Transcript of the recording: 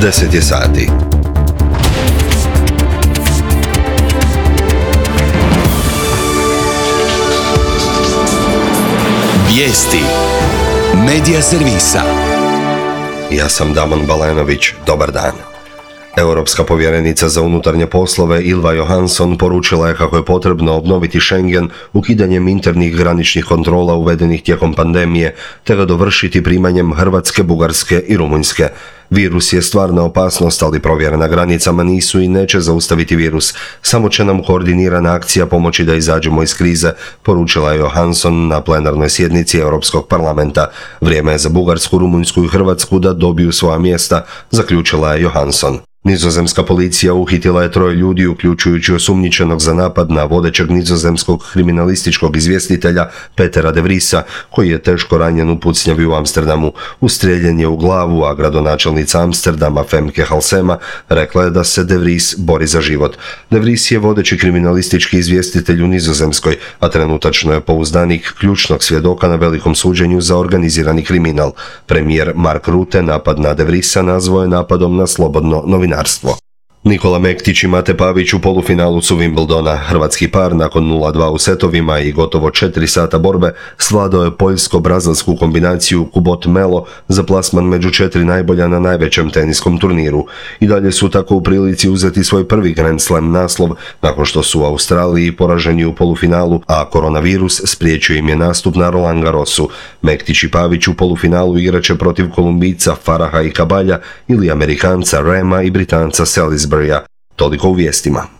10 je sati. Vijesti Medija servisa. Ja sam Damon Balenović, dobar dan. Europska povjerenica za unutarnje poslove Ylva Johansson poručila je kako je potrebno obnoviti Schengen ukidanjem internih graničnih kontrola uvedenih tijekom pandemije, te ga dovršiti primanjem Hrvatske, Bugarske i Rumunjske. Virus je stvarna opasnost, ali provjere na granicama nisu i neće zaustaviti virus. Samo će nam koordinirana akcija pomoći da izađemo iz krize, poručila je Johansson na plenarnoj sjednici Europskog parlamenta. Vrijeme je za Bugarsku, Rumunjsku i Hrvatsku da dobiju svoja mjesta, zaključila je Johansson. Nizozemska policija uhitila je 3 ljudi, uključujući osumnjičenog za napad na vodećeg nizozemskog kriminalističkog izvjestitelja Petera de Vriesa, koji je teško ranjen u pucnjavi u Amsterdamu. Ustrijeljen je u glavu, a gradonačelnica Amsterdama Femke Halsema rekla je da se de Vries bori za život. De Vries je vodeći kriminalistički izvjestitelj u Nizozemskoj, a trenutačno je pouzdanik ključnog svjedoka na velikom suđenju za organizirani kriminal. Premijer Mark Rutte napad na de Vriesa nazvao je napadom na slobodno novinarstvo. Nikola Mektić i Mate Pavić u polufinalu su Wimbledona. Hrvatski par nakon 0-2 u setovima i gotovo 4 sata borbe svladao je poljsko-brazilsku kombinaciju Kubot-Melo za plasman među 4 najbolja na najvećem teniskom turniru. I dalje su tako u prilici uzeti svoj prvi Grand Slam naslov nakon što su u Australiji poraženi u polufinalu, a koronavirus spriječio im je nastup na Roland Garrosu. Mektić i Pavić u polufinalu igraće protiv Kolumbijca Faraha i Cabalja ili Amerikanca Rema i Britanca Salisburya. Toliko u vijestima.